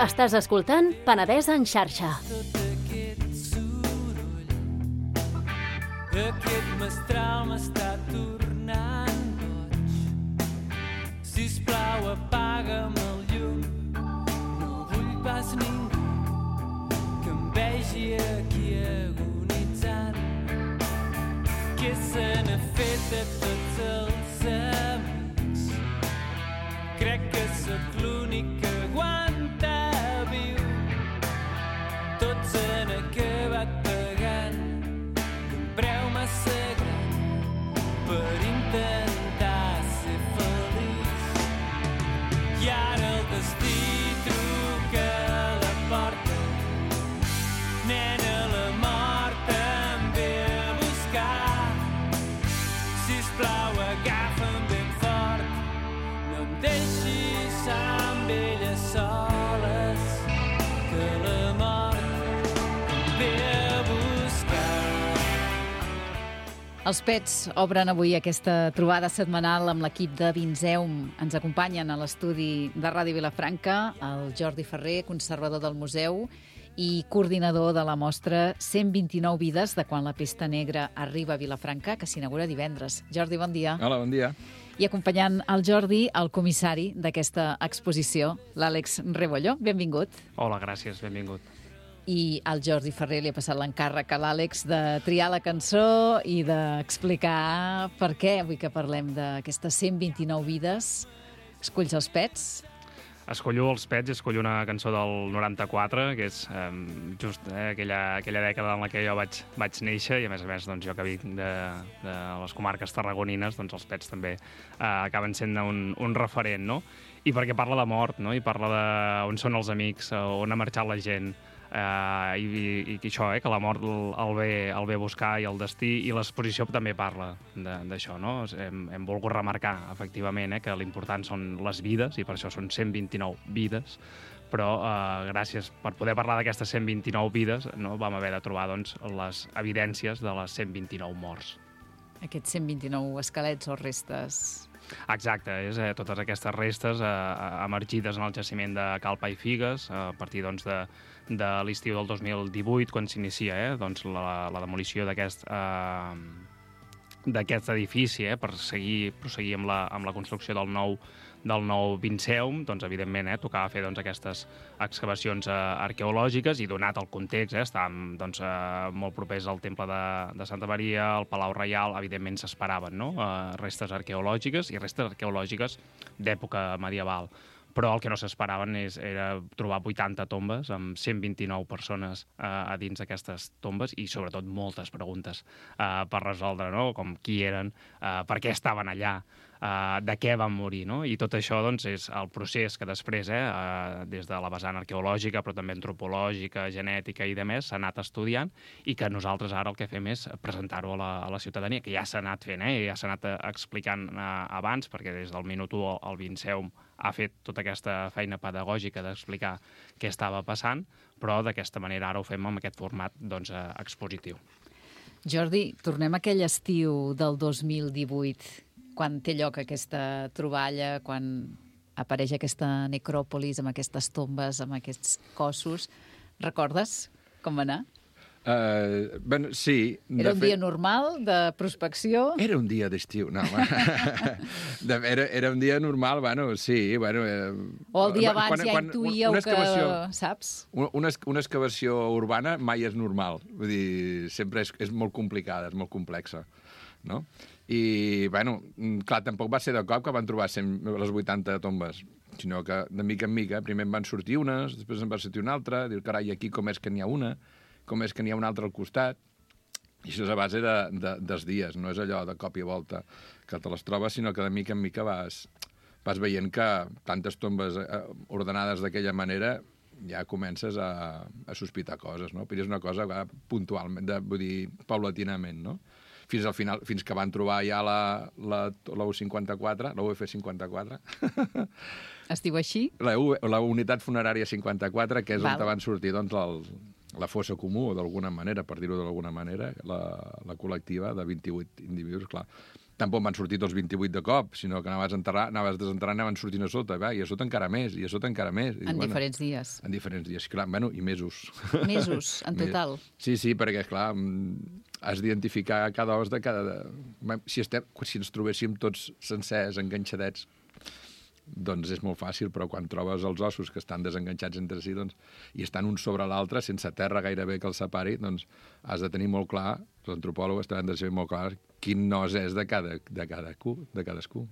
Estàs escoltant Penedès en xarxa. Aquest mestral m'està tornant boig. Sisplau, apaga'm el llum. No vull pas ningú que em vegi aquí agonitzant. Què se n'ha fet de tots els amics? Crec que sóc l'únic que aguanta viu. Tots han acabat pagant preu massa gran per intentar ser feliç. I ara el destí truca a la porta. Nena, la mort em ve a buscar. Sisplau, agafa'm ben fort. No em deixis amb ella soles, que la mort em ve a buscar. Els Pets obren avui aquesta trobada setmanal amb l'equip de Vinceum. Ens acompanyen a l'estudi de Ràdio Vilafranca el Jordi Ferrer, conservador del museu i coordinador de la mostra 129 vides de quan la pesta negra arriba a Vilafranca, que s'inaugura divendres. Jordi, bon dia. Hola, bon dia. I acompanyant el Jordi, el comissari d'aquesta exposició, l'Àlex Rebolló. Benvingut. Hola, gràcies, benvingut. I al Jordi Ferrer li ha passat l'encàrrec a l'Àlex de triar la cançó i d'explicar per què avui que parlem d'aquestes 129 vides escolls els Pets. Escollo els Pets i escollo una cançó del 94, que és just aquella dècada en la que jo vaig néixer, i a més doncs, jo que vinc de les comarques tarragonines, doncs els Pets també acaben sent un referent, no? I perquè parla de mort, no? I parla d'on són els amics, on ha marxat la gent, i això, que la mort el ve a buscar, i el destí, i l'exposició també parla d'això, no? Hem volgut remarcar, efectivament, que l'important són les vides, i per això són 129 vides, però gràcies per poder parlar d'aquestes 129 vides, no, vam haver de trobar doncs, les evidències de les 129 morts. Aquests 129 esquelets o restes. Exacte, és totes aquestes restes emergides en el jaciment de Cal Pa i Figues a partir doncs, de l'estiu del 2018, quan s'inicia doncs, la demolició d'aquest edifici, per proseguir amb la construcció del nou Vinceum. Doncs, evidentment, tocava fer doncs, aquestes excavacions arqueològiques, i donat el context, estàvem doncs, molt propers al Temple de Santa Maria, al Palau Reial, evidentment s'esperaven, no? Restes arqueològiques, i restes arqueològiques d'època medieval. Però el que no s'esperaven era trobar 80 tombes amb 129 persones a dins d'aquestes tombes, i sobretot moltes preguntes per resoldre, no? Com qui eren, per què estaven allà, de què van morir, no? I tot això doncs, és el procés que després, des de la vessant arqueològica, però també antropològica, genètica i demés, s'ha anat estudiant, i que nosaltres ara el que fem és presentar-ho a la ciutadania, que ja s'ha anat fent, ja s'ha anat explicant abans, perquè des del minut 1 el Vinceum ha fet tota aquesta feina pedagògica d'explicar què estava passant, però d'aquesta manera ara ho fem amb aquest format doncs, expositiu. Jordi, tornem a aquell estiu del 2018, quan té lloc aquesta troballa, quan apareix aquesta necròpolis amb aquestes tombes, amb aquests cossos. Recordes com va anar? Sí. Era un dia normal de prospecció? Era un dia d'estiu, no. Era un dia normal, sí. O el dia abans ja intuïeu que, saps? Una excavació urbana mai és normal. Vull dir, sempre és molt complicada, és molt complexa, no? I, clar, tampoc va ser de cop que van trobar les 80 tombes, sinó que de mica en mica, primer en van sortir unes, després en va sortir una altra, dir, carai, aquí com és que n'hi ha una, com és que n'hi ha una altra al costat, i això és a base dels dies, no és allò de cop i volta que te les trobes, sinó que de mica en mica vas veient que tantes tombes ordenades d'aquella manera ja comences a sospitar coses, no? Però és una cosa puntualment, vull dir, paulatinament, no? Fins al final, fins que van trobar ja la U54, la UF54. Es diu així? La unitat funerària 54, que és on van sortir doncs, la fossa comú, d'alguna manera, per dir-ho d'alguna manera, la col·lectiva de 28 individus, clar. tampoc van sortir tots 28 de cop, sinó que anaves desenterrant, anaven sortint a sota, i a sota encara més, i a sota encara més. Diferents dies. En diferents dies, clar, i mesos. Mesos, en total. Sí, perquè, clar, has d'identificar cada os de cada... Si ens trobéssim tots sencers, enganxadets, doncs és molt fàcil, però quan trobes els ossos que estan desenganxats entre si i estan un sobre l'altre, sense terra gairebé que els separi, doncs has de tenir molt clar, els antropòlegs han de saber molt clar quin nos és de cadascú.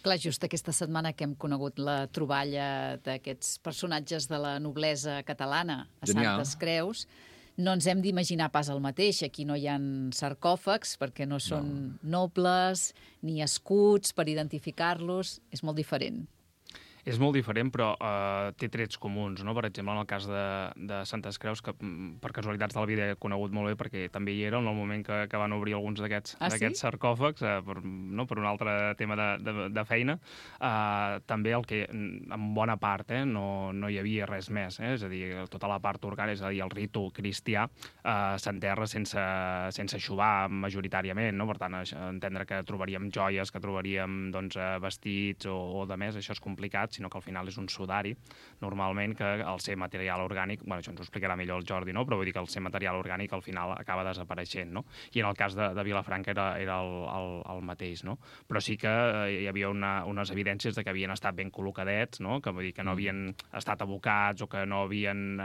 Clar, just aquesta setmana que hem conegut la troballa d'aquests personatges de la noblesa catalana a Santes Creus, no ens hem d'imaginar pas el mateix. Aquí no hi ha sarcòfags, perquè no són nobles, ni escuts per identificar-los. És molt diferent. És molt diferent, però té trets comuns, no? Per exemple, en el cas de Santes Creus, que per casualitats de la vida he conegut molt bé, perquè també hi era en el moment que van obrir alguns d'aquests sarcòfags, per un altre tema de feina. També el que, en bona part, no hi havia res més. És a dir, tota la part orgànica, és a dir, el ritu cristià, s'enterra sense eixuvar majoritàriament, no? Per tant, entendre que trobaríem joies, que trobaríem vestits o de més, això és complicat, sinó que al final és un sudari, normalment, que al ser material orgànic, això ens ho explicarà millor el Jordi, no? Però vull dir que el ser material orgànic al final acaba desapareixent, no? I en el cas de Vilafranca era el mateix, no? Però sí que hi havia unes evidències de que havien estat ben col·locadets, no? Que vull dir que no havien estat abocats o que no havien...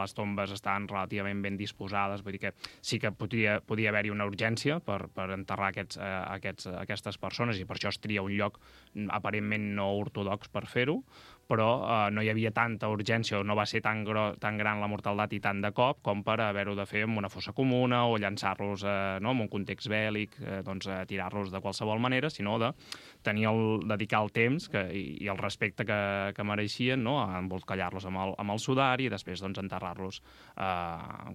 les tombes estaven relativament ben disposades, vull dir que sí que podia haver-hi una urgència per enterrar aquestes persones, i per això es tria un lloc aparentment no ortodox per fer-ho, però no hi havia tanta urgència, o no va ser tan gran la mortaldat i tant de cop com per haver-ho de fer en una fossa comuna o llançar-los en un context bèl·lic, tirar-los de qualsevol manera, sinó de dedicar el temps i el respecte que mereixien, embolcallar-los amb el sudari i després enterrar-los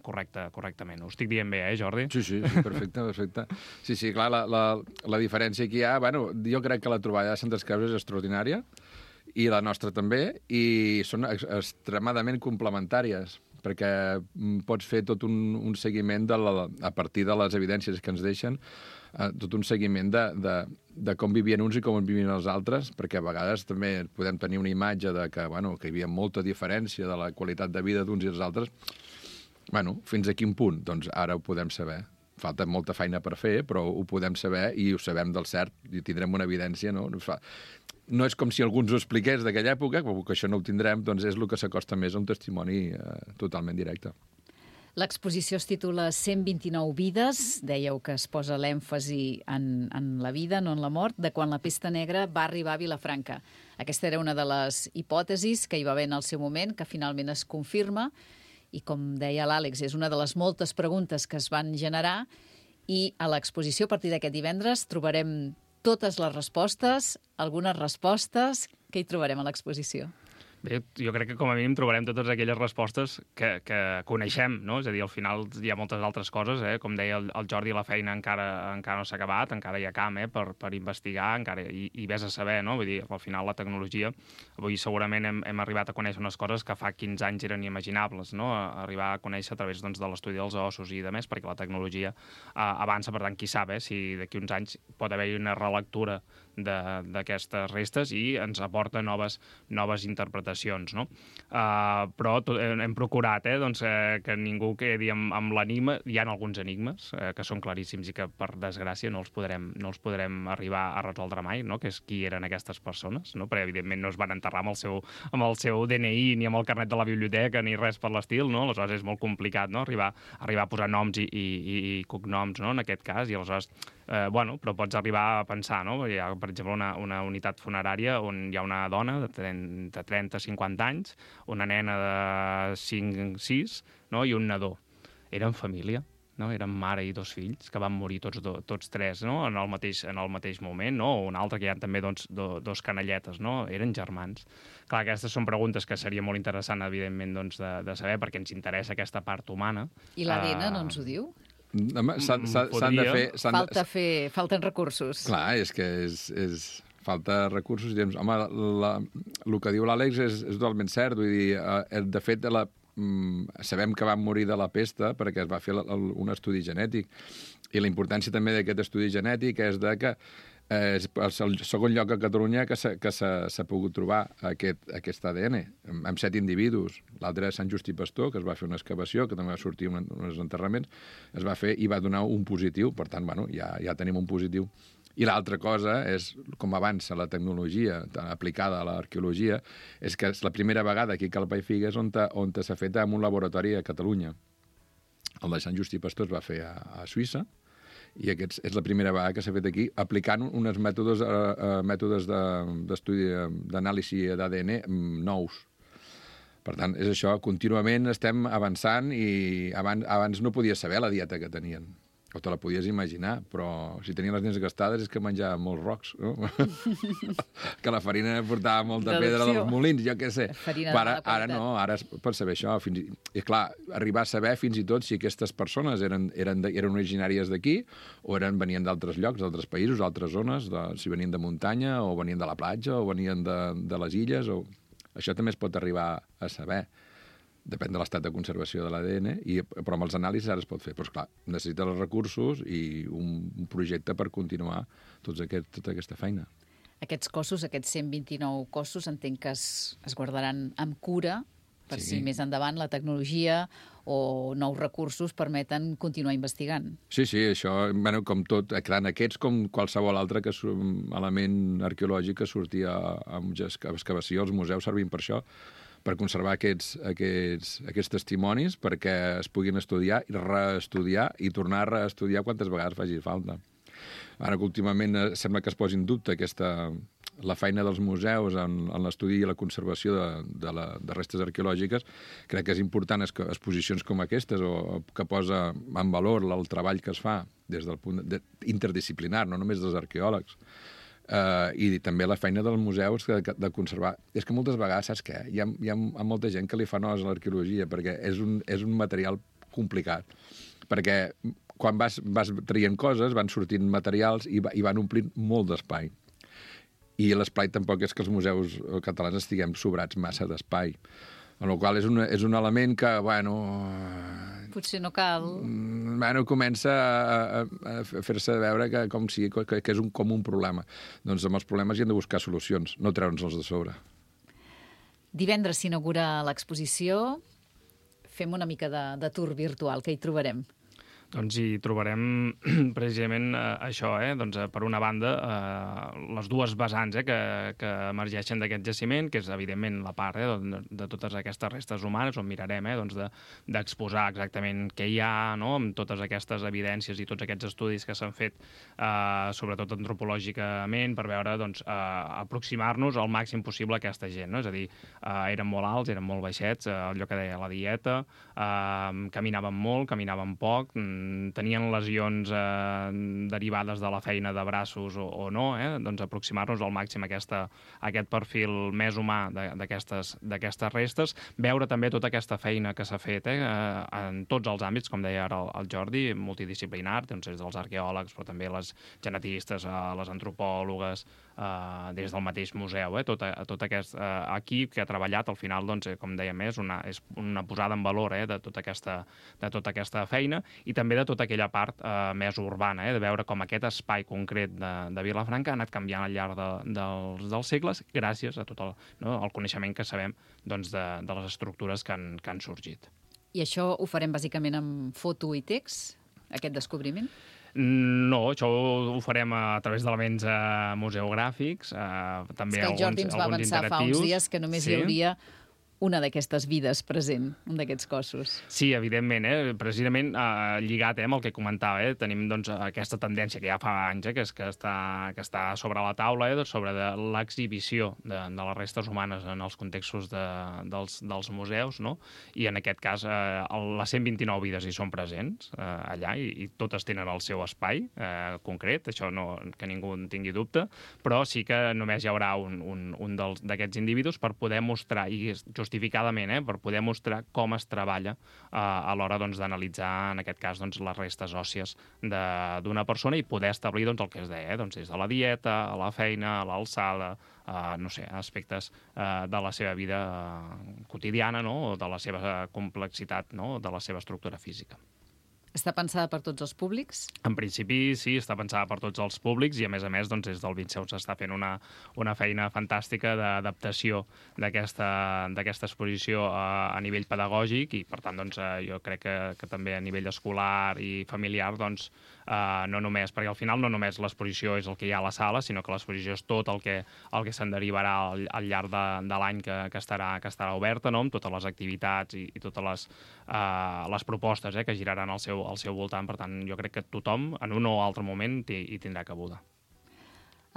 correctament. Ho estic dient bé, Jordi? Sí, perfecte. Sí, clar, la diferència que hi ha, jo crec que la troballa de Santes Creus és extraordinària, i la nostra també, i són extremadament complementàries, perquè pots fer tot un seguiment a partir de les evidències que ens deixen, tot un seguiment de com vivien uns i com vivien els altres, perquè a vegades també podem tenir una imatge de que hi havia molta diferència de la qualitat de vida d'uns i els altres. Fins a quin punt? Doncs ara ho podem saber. Falta molta feina per fer, però ho podem saber i ho sabem del cert, i tindrem una evidència, no? No és com si algú ens ho expliqués d'aquella època, però que això no ho tindrem, doncs és el que s'acosta més a un testimoni totalment directe. L'exposició es titula 129 vides, dèieu que es posa l'èmfasi en la vida, no en la mort, de quan la pesta negra va arribar a Vilafranca. Aquesta era una de les hipòtesis que hi va haver en el seu moment, que finalment es confirma, i com deia l'Àlex, és una de les moltes preguntes que es van generar, i a l'exposició, a partir d'aquest divendres, trobarem totes les respostes, algunes respostes. Què hi trobarem a l'exposició? Bé, jo crec que com a mínim trobarem totes aquelles respostes que coneixem, no? És a dir, al final hi ha moltes altres coses, com deia el Jordi, la feina encara no s'ha acabat, encara hi ha camp per investigar, encara i ves a saber, no? Vull dir, al final la tecnologia, avui segurament hem arribat a conèixer unes coses que fa 15 anys eren inimaginables, no? Arribar a conèixer a través de l'estudi dels ossos i de més, perquè la tecnologia avança, per tant, qui sap, si d'aquí uns anys pot haver-hi una relectura d'aquestes restes i ens aporta noves interpretacions, no? Però hem procurat que ningú quedi amb l'enigma. Hi ha alguns enigmes que són claríssims i que, per desgràcia, no els podrem arribar a resoldre mai, no? Que és qui eren aquestes persones, no? Perquè, evidentment, no es van enterrar amb el seu DNI ni amb el carnet de la biblioteca ni res per l'estil, no? Aleshores és molt complicat, no? Arribar a posar noms i cognoms, no? En aquest cas, i aleshores però pots arribar a pensar, no? Hi ha, per exemple, una unitat funerària on hi ha una dona de 30-50 anys, una nena de 5-6, no? I un nadó. Eren família, no? Eren mare i 2 fills, que van morir tots 3, no? en el mateix moment, no? O un altre que hi ha també 2 canalletes, no? Eren germans. Clar, aquestes són preguntes que seria molt interessant, evidentment, de saber, perquè ens interessa aquesta part humana. I l'ADN no ens ho diu? S'han de fer... Falten recursos. Clar, és que falta recursos. Home, el que diu l'Àlex és totalment cert. Vull dir, de fet, sabem que van morir de la pesta perquè es va fer un estudi genètic. I la importància també d'aquest estudi genètic és de que és el segon lloc a Catalunya que s'ha pogut trobar aquest ADN, amb 7 individus. L'altre és Sant Just i Pastor, que es va fer una excavació, que també va sortir uns enterraments, es va fer i va donar un positiu, per tant, bueno, ja tenim un positiu. I l'altra cosa és, com avança la tecnologia aplicada a l'arqueologia, és que és la primera vegada aquí a Calpa i Figues on s'ha fet en un laboratori a Catalunya. El de Sant Just i Pastor es va fer a Suïssa, i és la primera vegada que s'ha fet aquí, aplicant uns mètodes d'estudi d'anàlisi d'ADN nous. Per tant, és això, contínuament estem avançant i abans no podies saber la dieta que tenien. O te la podies imaginar, però si tenien les dents gastades és que menjaven molts rocs, no? Que la farina portava molta pedra dels molins, jo què sé. Ara no, ara es pot saber això. I clar, arribar a saber fins i tot si aquestes persones eren originàries d'aquí o venien d'altres llocs, d'altres països, d'altres zones, si venien de muntanya o venien de la platja o venien de les illes. Això també es pot arribar a saber. Depèn de l'estat de conservació de l'ADN, però amb els anàlisis ara es pot fer. Però, esclar, necessita els recursos i un projecte per continuar tota aquesta feina. Aquests cossos, aquests 129 cossos, entenc que es guardaran amb cura per si més endavant la tecnologia o nous recursos permeten continuar investigant. Sí, això, com tot, en aquests com qualsevol altre element arqueològic que sortia amb excavació, els museus servim per això, per conservar aquests testimonis perquè es puguin estudiar i reestudiar i tornar a reestudiar quantes vegades faci falta. Ara que últimament sembla que es posi en dubte la feina dels museus en l'estudi i la conservació de restes arqueològiques, crec que és important exposicions com aquestes o que posa en valor el treball que es fa des del punt interdisciplinar, no només dels arqueòlegs, i també la feina dels museus de conservar. És que moltes vegades, saps què? Hi ha molta gent que li fa nosa a l'arqueologia perquè és un material complicat. Perquè quan vas traient coses, van sortint materials i van omplint molt d'espai. I l'espai tampoc és que els museus catalans estiguem sobrats massa d'espai. Amb la qual cosa és un element que, potser no cal. Comença a fer-se veure que és com un problema. Doncs amb els problemes hi hem de buscar solucions, no treure'ns-els de sobre. Divendres s'inaugura l'exposició. Fem una mica de tour virtual, que hi trobarem. Doncs hi trobarem precisament això, doncs, per una banda, les dues vessants que emergeixen d'aquest jaciment, que és evidentment la part de totes aquestes restes humanes, on mirarem d'exposar exactament què hi ha, no?, amb totes aquestes evidències i tots aquests estudis que s'han fet, sobretot antropològicament, per veure, doncs, aproximar-nos al màxim possible a aquesta gent, no? És a dir, eren molt alts, eren molt baixets, allò que deia la dieta, caminaven molt, caminaven poc, tenien lesions derivades de la feina de braços o no, doncs aproximar-nos al màxim a aquest perfil més humà d'aquestes restes, veure també tota aquesta feina que s'ha fet en tots els àmbits, com deia ara el Jordi, multidisciplinar, doncs des dels arqueòlegs, però també les genetistes, les antropòlogues, des del mateix museu, tot aquest equip que ha treballat, al final, doncs, com dèiem, és una posada en valor de tota aquesta feina, i també de tota aquella part més urbana, de veure com aquest espai concret de Vilafranca ha anat canviant al llarg dels segles gràcies a tot el coneixement que sabem de les estructures que han sorgit. I això ho farem bàsicament amb foto i text, aquest descobriment? No, això ho farem a través d'elements museogràfics, també alguns interactius. És que el Jordi ens va avançar fa uns dies que només hi hauria una d'aquestes vides present, un d'aquests cossos. Sí, evidentment, precisament lligat amb el que comentava, tenim doncs, aquesta tendència que ja fa anys que està sobre la taula, sobre l'exhibició de les restes humanes en els contextos dels museus, no? I en aquest cas les 129 vides hi són presents allà i totes tenen el seu espai concret, això que ningú en tingui dubte, però sí que només hi haurà un d'aquests individus per poder mostrar i justificadament, per poder mostrar com es treballa a l'hora doncs, d'analitzar, en aquest cas, doncs, les restes òssies d'una persona i poder establir doncs, el que es deia, doncs, des de la dieta, a la feina, a l'alçada, no sé, aspectes de la seva vida quotidiana, no? O de la seva complexitat, no? De la seva estructura física. Està pensada per tots els públics? En principi, sí, està pensada per tots els públics i, a més, doncs, des del Vinceu s'està fent una feina fantàstica d'adaptació d'aquesta exposició a nivell pedagògic i, per tant, doncs, jo crec que també a nivell escolar i familiar, doncs, no només, perquè al final no només l'exposició és el que hi ha a la sala, sinó que l'exposició és tot el que se'n derivarà al llarg de l'any que estarà oberta, no? Amb totes les activitats i totes les propostes que giraran al seu voltant. Per tant, jo crec que tothom, en un o altre moment, hi tindrà cabuda.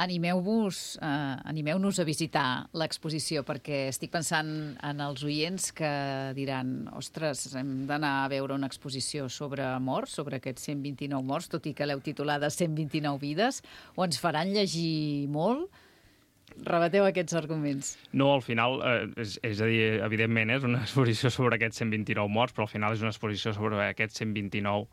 Animeu-nos a visitar l'exposició, perquè estic pensant en els oients que diran ostres, hem d'anar a veure una exposició sobre morts, sobre aquests 129 morts, tot i que l'heu titulada 129 vides, o ens faran llegir molt? Rebateu aquests arguments. No, al final, és a dir, evidentment, és una exposició sobre aquests 129 morts, però al final és una exposició sobre aquests 129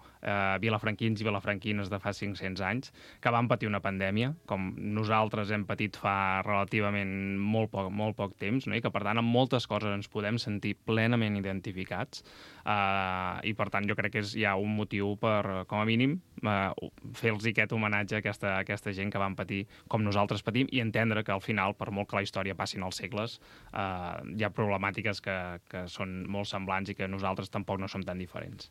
vilafranquins i vilafranquines de fa 500 anys que van patir una pandèmia, com nosaltres hem patit fa relativament molt poc temps, no? I que, per tant, amb moltes coses ens podem sentir plenament identificats i, per tant, jo crec que hi ha un motiu per, com a mínim, fer-los aquest homenatge a aquesta gent que van patir com nosaltres patim i entendre que al final, per molt que la història passin els segles, hi ha problemàtiques que són molt semblants i que nosaltres tampoc no som tan diferents.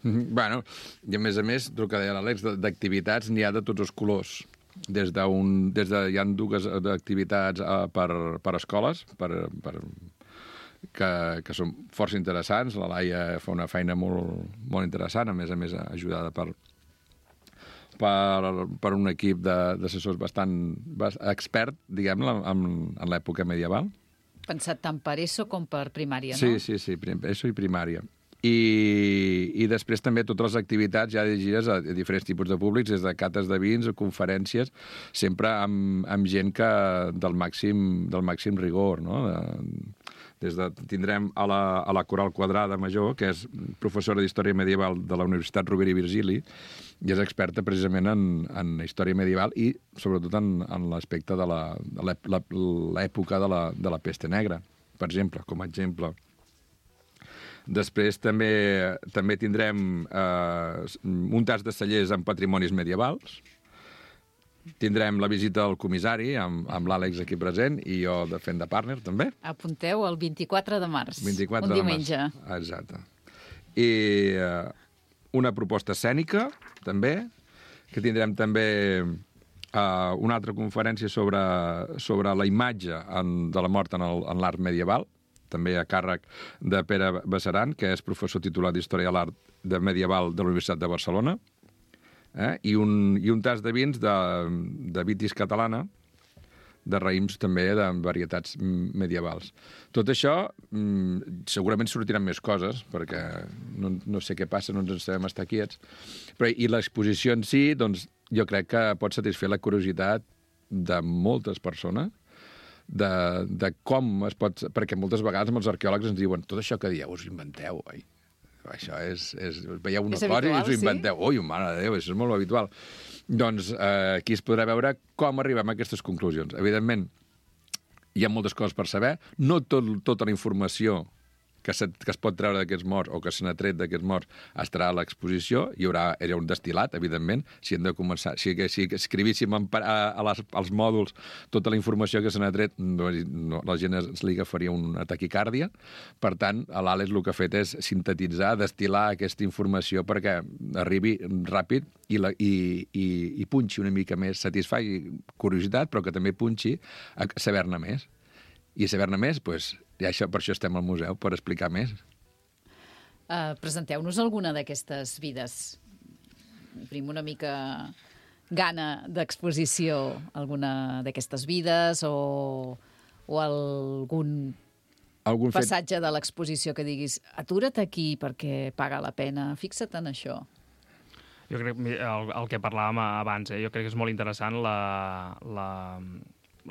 Bueno, i a més, el que deia l'Àlex, d'activitats n'hi ha de tots els colors. Hi ha dues activitats per escoles, que són força interessants. La Laia fa una feina molt interessant, a més, ajudada per un equip d'assessors bastant expert, diguem-ne, en l'època medieval. Pensat tant per ESO com per primària, no? Sí, ESO i primària. I després també totes les activitats ja dirigides a diferents tipus de públics, des de cates de vins o conferències, sempre amb gent del màxim rigor, no? Tindrem a la Coral Quadrada Major, que és professora d'Història Medieval de la Universitat Rovira i Virgili, i és experta precisament en història medieval i sobretot en l'aspecte de l'època de la peste negra, per exemple, com a exemple. Després també tindrem un tas de cellers amb patrimonis medievals. Tindrem la visita al comissari amb l'Àlex aquí present i jo fent de partner, també. Apunteu el 24 de març, 24 un diumenge. Exacte. I una proposta escènica, també, que tindrem també una altra conferència sobre la imatge de la mort en l'art medieval, també a càrrec de Pere Bassaran, que és professor titular d'Història de l'Art Medieval de la Universitat de Barcelona, i un tas de vins de vitis catalana, de raïms també de varietats medievals. Tot això segurament sortiran més coses, perquè no sé què passa, no ens sabem estar quiets, i l'exposició en si, doncs, jo crec que pot satisfer la curiositat de moltes persones, de com es pot... Perquè moltes vegades amb els arqueòlegs ens diuen tot això que dieu us inventeu, oi? Això és veieu una cosa i us ho inventeu. Ui, mare de Déu, això és molt habitual. Doncs aquí es podrà veure com arribem a aquestes conclusions. Evidentment, hi ha moltes coses per saber. No tota la informació que es pot treure d'aquests morts o que se n'ha tret d'aquests morts estarà a l'exposició. Hi haurà un destil·lat, evidentment. Si hem de començar, si escrivíssim als mòduls tota la informació que se n'ha tret, la gent li agafaria una taquicàrdia. Per tant, l'Àlex el que ha fet és sintetitzar, destil·lar aquesta informació perquè arribi ràpid i punxi una mica més, satisfaci curiositat, però que també punxi a saber-ne més. I saber-ne més, doncs, per això estem al museu, per explicar més. Presenteu-nos alguna d'aquestes vides. Obrim una mica gana d'exposició, alguna d'aquestes vides o algun passatge de l'exposició que diguis atura't aquí perquè paga la pena, fixa't en això. Jo crec que el que parlàvem abans, jo crec que és molt interessant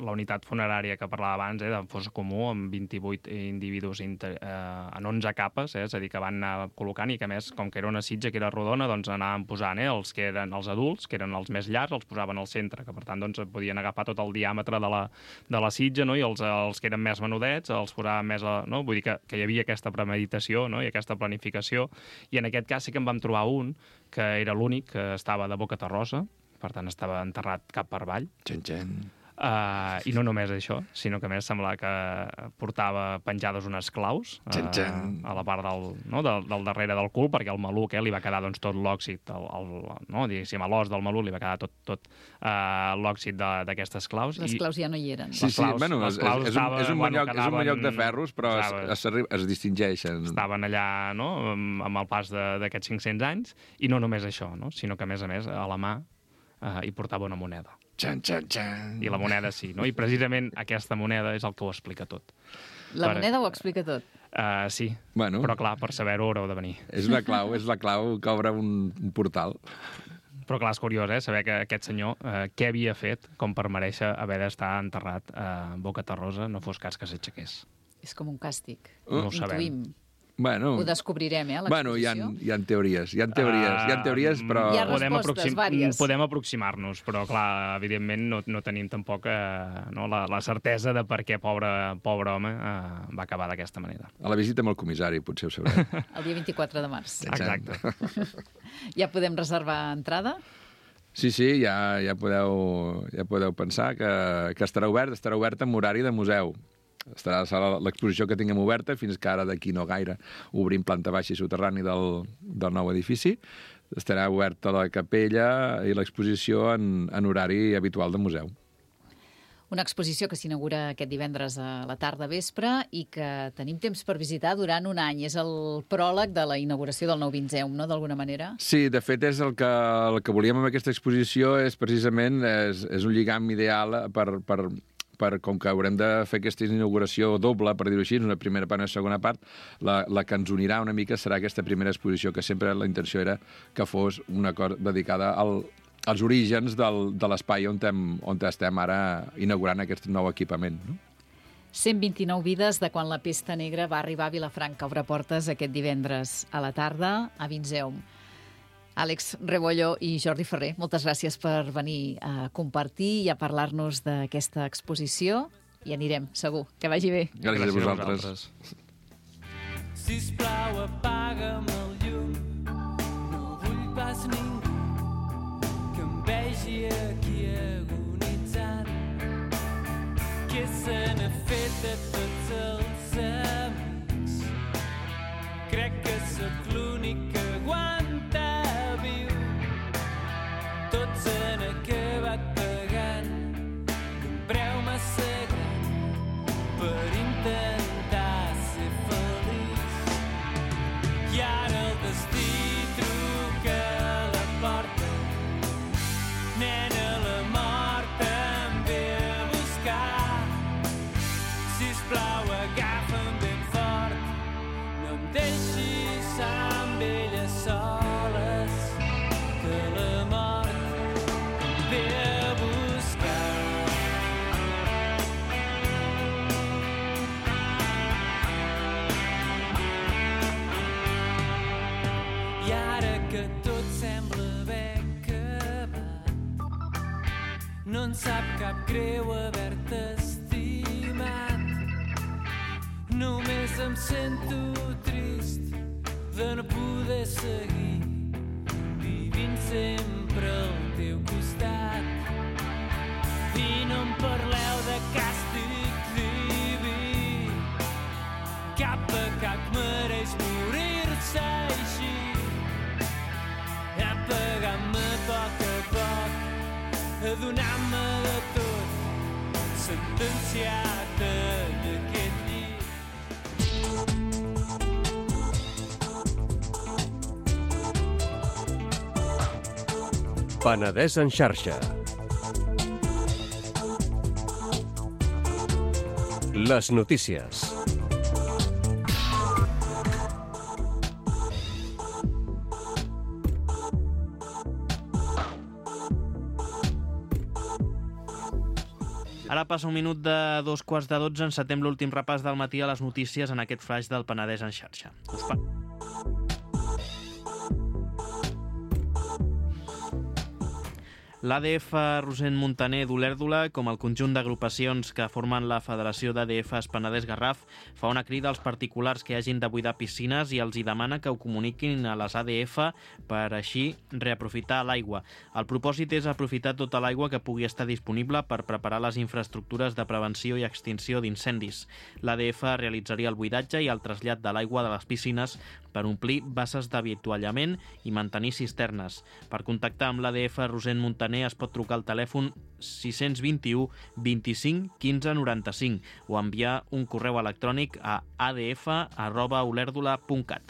la unitat funerària que parlava abans, de fosa comú, amb 28 individus en 11 capes, és a dir, que van anar col·locant i que, a més, com que era una sitja que era rodona, doncs anaven posant els que eren els adults, que eren els més llargs, els posaven al centre, que per tant doncs, podien agafar tot el diàmetre de la sitja, no? I els que eren més menudets els posaven més... No? Vull dir que hi havia aquesta premeditació, no? I aquesta planificació, i en aquest cas sí que en vam trobar un que era l'únic que estava de boca terrosa, per tant estava enterrat cap per avall. I no només això, sinó que a més semblava que portava penjades unes claus a la part del darrere del cul, perquè al maluc li va quedar doncs, tot l'òxid, diguéssim, a l'os del maluc li va quedar tot l'òxid d'aquestes claus. Les claus ja no hi eren. Sí, bueno, és un bon lloc de ferros, però es distingeixen. Estaven allà, no?, amb el pas d'aquests 500 anys, i no només això, no?, sinó que, a més, a la mà hi portava una moneda. I la moneda sí, no? I precisament aquesta moneda és el que ho explica tot. Moneda ho explica tot? Sí, però clar, per saber-ho haureu de venir. És la clau que obre un portal. Però clar, és curiós, saber que aquest senyor què havia fet com per mereixer haver d'estar enterrat a Boca Terrosa, no fos cas que s'aixequés. És com un càstig. No ho sabem. Ho descobrirem, l'exposició. Bueno, hi ha teories, però... Hi ha respostes vàries. Podem aproximar-nos, però, clar, evidentment no tenim tampoc la certesa de per què pobre home va acabar d'aquesta manera. A la visita amb el comissari, potser ho sabrem. El dia 24 de març. Exacte. Ja podem reservar entrada? Sí, ja podeu pensar que estarà obert amb horari de museu. Estarà l'exposició que tinguem oberta fins que ara d'aquí no gaire obrim planta baixa i soterrani del nou edifici. Estarà oberta la capella i l'exposició en horari habitual de museu. Una exposició que s'inaugura aquest divendres a la tarda vespre i que tenim temps per visitar durant un any. És el pròleg de la inauguració del nou Vinceum, no?, d'alguna manera? Sí, de fet, és el que volíem amb aquesta exposició, és precisament és un lligam ideal com que haurem de fer aquesta inauguració doble, per dir-ho així, una primera part i una segona part, la que ens unirà una mica serà aquesta primera exposició, que sempre la intenció era que fos una cosa dedicada als orígens de l'espai on estem ara inaugurant aquest nou equipament, no? 129 vides de quan la pesta negra va arribar a Vilafranca. Obre portes aquest divendres a la tarda a Vinceum. Àlex Rebollo i Jordi Ferrer, moltes gràcies per venir a compartir i a parlar-nos d'aquesta exposició. I anirem, segur. Que vagi bé. Gràcies a vosaltres. Sisplau, apaga'm el llum. No vull pas ningú que em vegi aquí agonitzant. Què se n'ha fet de tots els amics? Crec que sóc l'únic que aguanta viu. Tots han acabat pagant un preu massa gran per intentar ser feliç. I ara el destí truca a la porta. Nena, la mort em ve a buscar. Sisplau, agafa'm ben fort. No em deixis amb ella soles, que la mort em ve a buscar. I ara que tot sembla haver acabat, no en sap cap greu haver-te estimat. Només em sento trist de no poder seguir vivint sempre al teu costat. I no em parleu de càstig diví, cap pecat mereix morir-se així. Apagant-me a poc, adonant-me de tot, sentenciat en aquest llit. Penedès en xarxa. Les notícies. Ara passa un minut de 2:15, encetem l'últim repàs del matí a les notícies en aquest flaix del Penedès en xarxa. L'ADF Rossend Muntaner d'Olèrdola, com el conjunt d'agrupacions que formen la Federació d'ADFs Penedès-Garraf, fa una crida als particulars que hagin de buidar piscines i els hi demana que ho comuniquin a les ADF per així reaprofitar l'aigua. El propòsit és aprofitar tota l'aigua que pugui estar disponible per preparar les infraestructures de prevenció i extinció d'incendis. L'ADF realitzaria el buidatge i el trasllat de l'aigua de les piscines per omplir basses d'avituallament i mantenir cisternes. Per contactar amb l'ADF Rossend Muntaner es pot trucar al telèfon 621 25 15 95 o enviar un correu electrònic a adf@olèrdola.cat.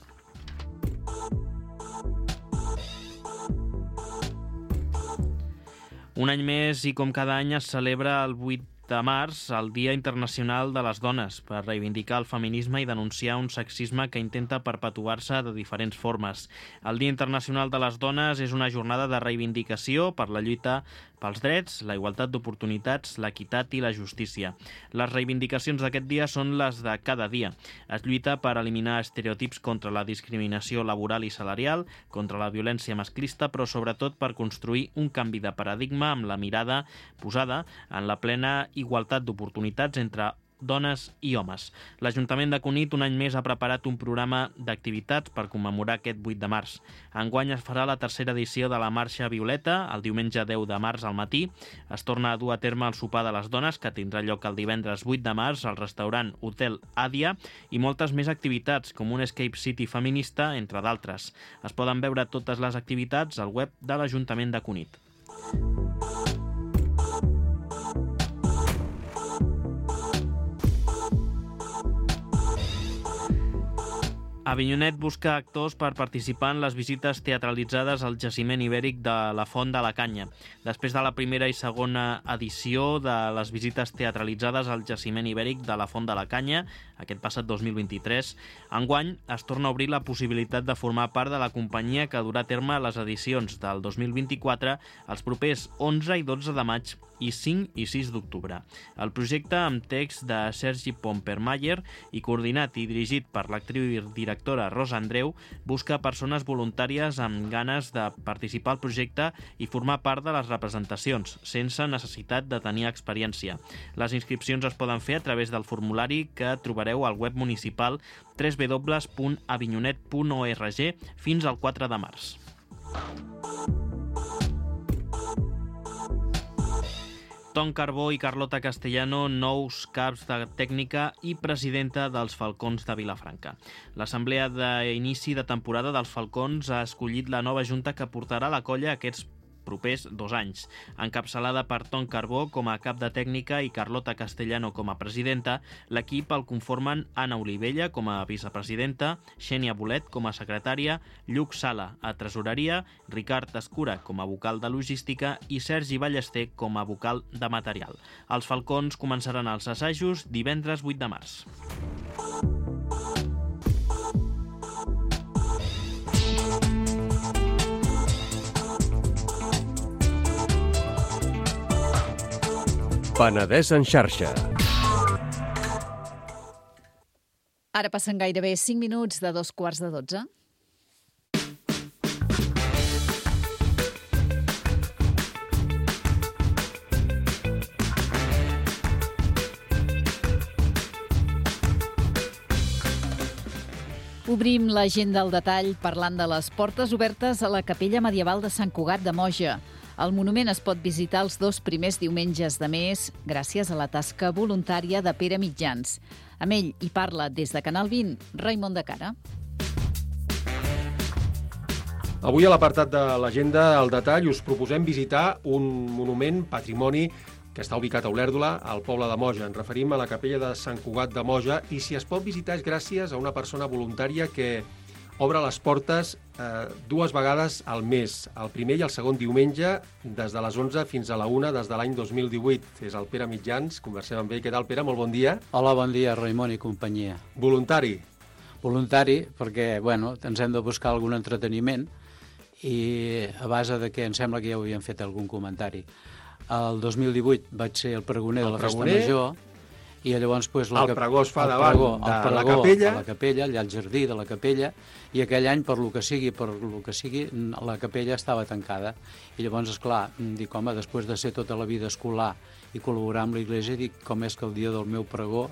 Un any més i com cada any es celebra el 8 de març, el Dia Internacional de les Dones, per reivindicar el feminisme i denunciar un sexisme que intenta perpetuar-se de diferents formes. El Dia Internacional de les Dones és una jornada de reivindicació per la lluita pels drets, la igualtat d'oportunitats, l'equitat i la justícia. Les reivindicacions d'aquest dia són les de cada dia. Es lluita per eliminar estereotips contra la discriminació laboral i salarial, contra la violència masclista, però sobretot per construir un canvi de paradigma amb la mirada posada en la plena igualtat d'oportunitats entre dones i homes. L'Ajuntament de Cunit un any més ha preparat un programa d'activitats per commemorar aquest 8 de març. Enguany es farà la tercera edició de la Marxa Violeta, el diumenge 10 de març al matí. Es torna a dur a terme el sopar de les dones, que tindrà lloc el divendres 8 de març al restaurant Hotel Àdia, i moltes més activitats, com un Escape City feminista, entre d'altres. Es poden veure totes les activitats al web de l'Ajuntament de Cunit. Avinyonet busca actors per participar en les visites teatralitzades al jaciment ibèric de la Font de la Canya. Després de la primera i segona edició de les visites teatralitzades al jaciment ibèric de la Font de la Canya, aquest passat 2023, enguany es torna a obrir la possibilitat de formar part de la companyia que durà a terme les edicions del 2024 els propers 11 i 12 de maig i 5 i 6 d'octubre. El projecte, amb text de Sergi Pompermayer i coordinat i dirigit per l'actriu i directora Rosa Andreu, busca persones voluntàries amb ganes de participar al projecte i formar part de les representacions, sense necessitat de tenir experiència. Les inscripcions es poden fer a través del formulari que trobareu al web municipal www.avinyonet.org fins al 4 de març. Tom Carbó i Carlota Castellano, nous caps de tècnica i presidenta dels Falcons de Vilafranca. L'assemblea d'inici de temporada dels Falcons ha escollit la nova junta que portarà la colla aquests propers 2 anys. Encapçalada per Tom Carbó com a cap de tècnica i Carlota Castellano com a presidenta, l'equip el conformen Anna Olivella com a vicepresidenta, Xènia Bolet com a secretària, Lluc Sala a tresoreria, Ricard Escura com a vocal de logística i Sergi Ballester com a vocal de material. Els Falcons començaran els assajos divendres 8 de març. Penedès en xarxa. Ara passen gairebé 5 minuts de 2:15. Obrim l'agenda al detall parlant de les portes obertes a la capella medieval de Sant Cugat de Moja. El monument es pot visitar els 2 primers diumenges de mes gràcies a la tasca voluntària de Pere Mitjans. Amb ell hi parla des de Canal 20, Raimon de Cara. Avui a l'apartat de l'agenda al detall us proposem visitar un monument patrimoni que està ubicat a Olèrdola, al poble de Moja. Ens referim a la capella de Sant Cugat de Moja i si es pot visitar és gràcies a una persona voluntària que obre les portes 2 vegades al mes, el primer i el segon diumenge, des de les 11 fins a la 1 des de l'any 2018. És el Pere Mitjans, conversem amb ell. Què tal, Pere? Molt bon dia. Hola, bon dia, Raimon i companyia. Voluntari? Voluntari, perquè, bueno, ens hem de buscar algun entreteniment i a base de que em sembla que ja ho havien fet algun comentari. El 2018 vaig ser el pregoner de la Festa Major, i llavors el pregó es fa davant de la capella. A la capella, allà al jardí de la capella, i aquell any, per lo que sigui, la capella estava tancada. I llavors, esclar, dic, home, després de ser tota la vida escolar i col·laborar amb l'Església, dic, com és que el dia del meu pregó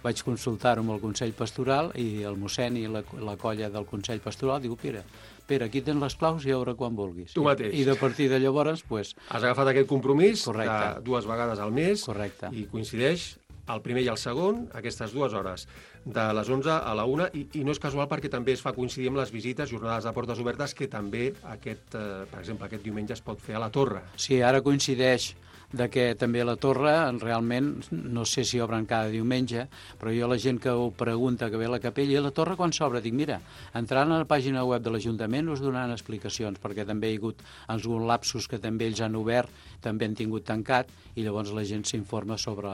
vaig consultar-ho amb el Consell Pastoral i el mossèn i la colla del Consell Pastoral, diu, Pere, aquí tens les claus i a veure quan vulguis. Tu mateix. I de partir de llavors, pues... Has agafat aquest compromís Correcte. de 2 vegades al mes. Correcte. I coincideix el primer i el segon, aquestes 2 hores, de les 11 a la 1, i no és casual perquè també es fa coincidir amb les visites, jornades de portes obertes, que també, per exemple, aquest diumenge es pot fer a la Torre. Sí, ara coincideix de que també la Torre, realment, no sé si obren cada diumenge, però jo la gent que ho pregunta que ve a la capella, i la Torre quan s'obre, dic, mira, entrant a la pàgina web de l'Ajuntament us donaran explicacions, perquè també hi ha hagut alguns lapsos que també ells han obert, també han tingut tancat, i llavors la gent s'informa sobre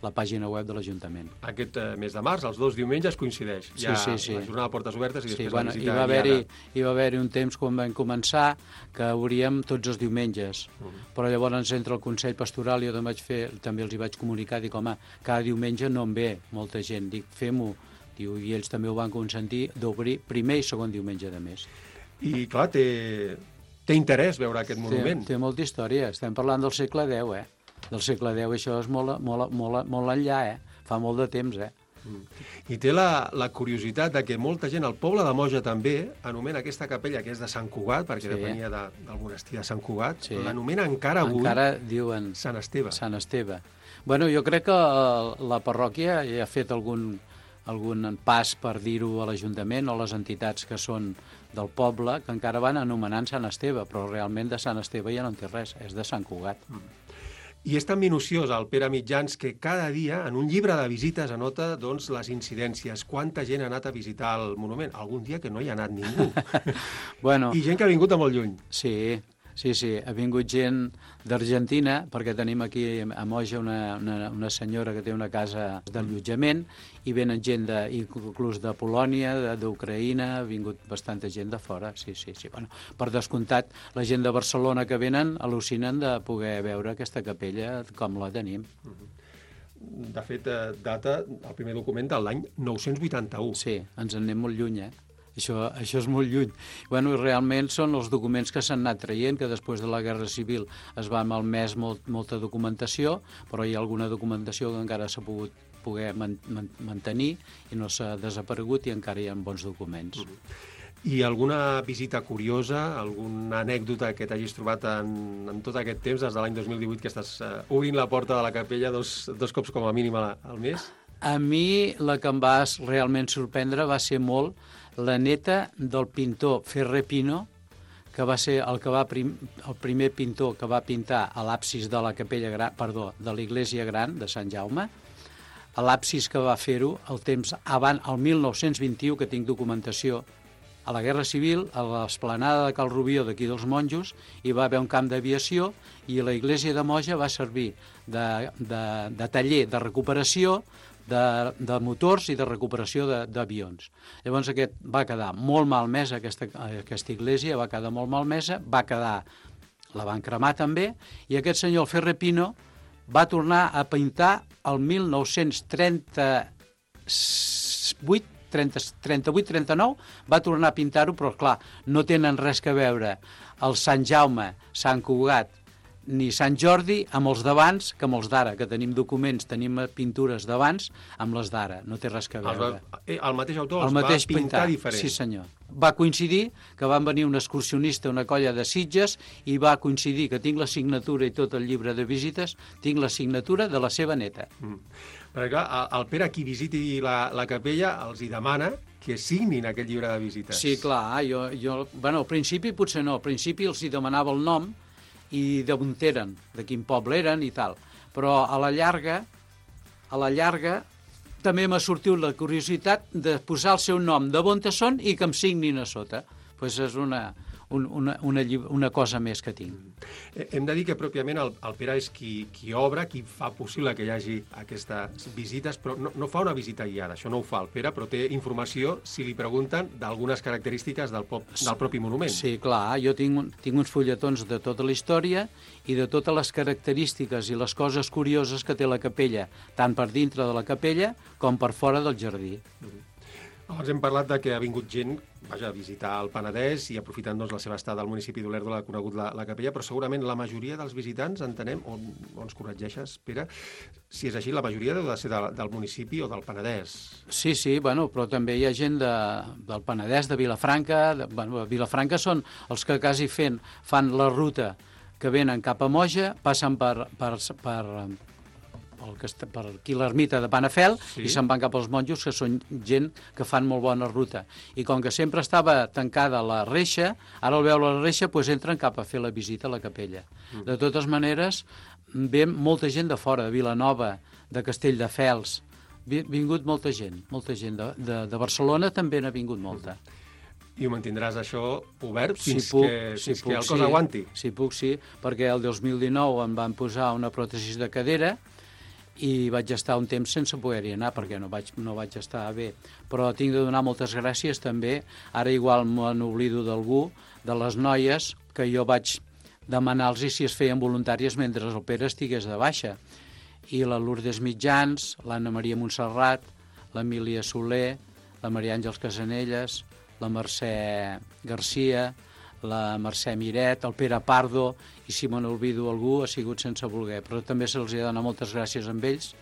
la pàgina web de l'Ajuntament. Aquest mes de març, els 2 diumenges, coincideix. Sí. La jornada de portes obertes i després la visita hi va haver-hi un temps quan vam començar que obríem tots els diumenges, però llavors entre el Consell Pastoral i jo també els hi vaig comunicar, dic, home, cada diumenge no en ve molta gent, dic, fem-ho, i ells també ho van consentir d'obrir primer i segon diumenge de mes. I clar, té interès veure aquest monument. Té molta història, estem parlant del segle X, del segle X, això és molt enllà, fa molt de temps, I té la curiositat de que molta gent, el poble de Moja també, anomena aquesta capella, que és de Sant Cugat, perquè depenia del monestir de Sant Cugat, l'anomena encara avui diuen Sant Esteve. Sant Esteve. Bueno, jo crec que la parròquia ja ha fet algun pas per dir-ho a l'Ajuntament o a les entitats que són del poble, que encara van anomenant Sant Esteve, però realment de Sant Esteve ja no en té res, és de Sant Cugat. I és tan minuciós el Pere Mitjans que cada dia en un llibre de visites anota les incidències, quanta gent ha anat a visitar el monument. Algun dia que no hi ha anat ningú. I gent que ha vingut de molt lluny. Sí, ha vingut gent d'Argentina, perquè tenim aquí a Moja una senyora que té una casa d'allotjament, i venen gent inclús de Polònia, d'Ucraïna, ha vingut bastanta gent de fora, sí. Bueno, per descomptat, la gent de Barcelona que venen al·lucinen de poder veure aquesta capella com la tenim. De fet, data el primer document de l'any 981. Sí, ens en anem molt lluny, Això és molt lluny. Bueno, i realment són els documents que s'han anat traient, que després de la Guerra Civil es va malmès molta documentació, però hi ha alguna documentació que encara s'ha poder mantenir i no s'ha desaparegut i encara hi ha bons documents. I alguna visita curiosa, alguna anècdota que t'hagis trobat en tot aquest temps, des de l'any 2018, que estàs obrint la porta de la capella dos cops com a mínim al mes? A mi la que em va realment sorprendre va ser molt la neta del pintor Ferrer Pino, que va ser el primer pintor que va pintar a l'absis de la capella gran, de l'Església Gran de Sant Jaume. A l'absis que va fer-ho el temps abans, el 1921, que tinc documentació, a la Guerra Civil, a l'esplanada de Cal Rubió d'aquí dels Monjos, hi va haver un camp d'aviació i l'Església de Moja va servir de taller de recuperació de motors i de recuperació d'avions. Llavors aquest va quedar molt malmesa, aquesta església va quedar molt malmesa, la van cremar també, i aquest senyor Ferrer Pino va tornar a pintar el 1938-39, va tornar a pintar-ho, però clar, no tenen res que veure el Sant Jaume, Sant Cugat, ni Sant Jordi amb els d'abans que amb els d'ara, que tenim documents, tenim pintures d'abans amb les d'ara, no té res que veure. El mateix autor els va pintar diferent. Sí, senyor. Va coincidir que van venir un excursionista, una colla de Sitges, i va coincidir que tinc la signatura i tot el llibre de visites, tinc la signatura de la seva neta. Perquè clar, el Pere, qui visiti la capella, els hi demana que signin aquest llibre de visites. Sí, clar, bueno, al principi potser no, al principi els hi demanava el nom i d'on eren, de quin poble eren i tal. Però a la llarga també m'ha sortit la curiositat de posar el seu nom de on són i que em signin a sota. Pues és una una cosa més que tinc. Hem de dir que pròpiament el Pere és qui obre, qui fa possible que hi hagi aquestes visites, però no fa una visita guiada, això no ho fa el Pere, però té informació, si li pregunten, d'algunes característiques del propi monument. Sí, clar, jo tinc uns fulletons de tota la història i de totes les característiques i les coses curioses que té la capella, tant per dintre de la capella com per fora del jardí. Abans hem parlat de que ha vingut gent a visitar el Penedès i aprofitant la seva estada al municipi d'Olèrdola ha conegut la capella, però segurament la majoria dels visitants, entenem, o ens corregeixes, Pere, si és així, la majoria deu de ser del municipi o del Penedès. Sí, bueno, però també hi ha gent del Penedès, de Vilafranca. Vilafranca són els que quasi fan la ruta que venen cap a Moja, passen per aquí l'ermita de Panafel, i se'n van cap als monjos, que són gent que fan molt bona ruta. I com que sempre estava tancada la reixa, ara al veure la reixa entren cap a fer la visita a la capella. De totes maneres, ve molta gent de fora, de Vilanova, de Castelldefels. Ha vingut molta gent. De Barcelona també n'ha vingut molta. I ho mantindràs això obert fins que el cos aguanti? Si puc, sí, perquè el 2019 em van posar una pròtesi de cadera i vaig estar un temps sense poder-hi anar perquè no vaig estar bé. Però tinc de donar moltes gràcies també, ara igual me n'oblido d'algú, de les noies, que jo vaig demanar-los si es feien voluntàries mentre el Pere estigués de baixa. I la Lourdes Mitjans, l'Anna Maria Montserrat, l'Emília Soler, la Maria Àngels Casanelles, la Mercè Garcia, la Mercè Miret, el Pere Pardo, i si me n'olvido algú ha sigut sense voler, però també se'ls ha de donar moltes gràcies amb ells,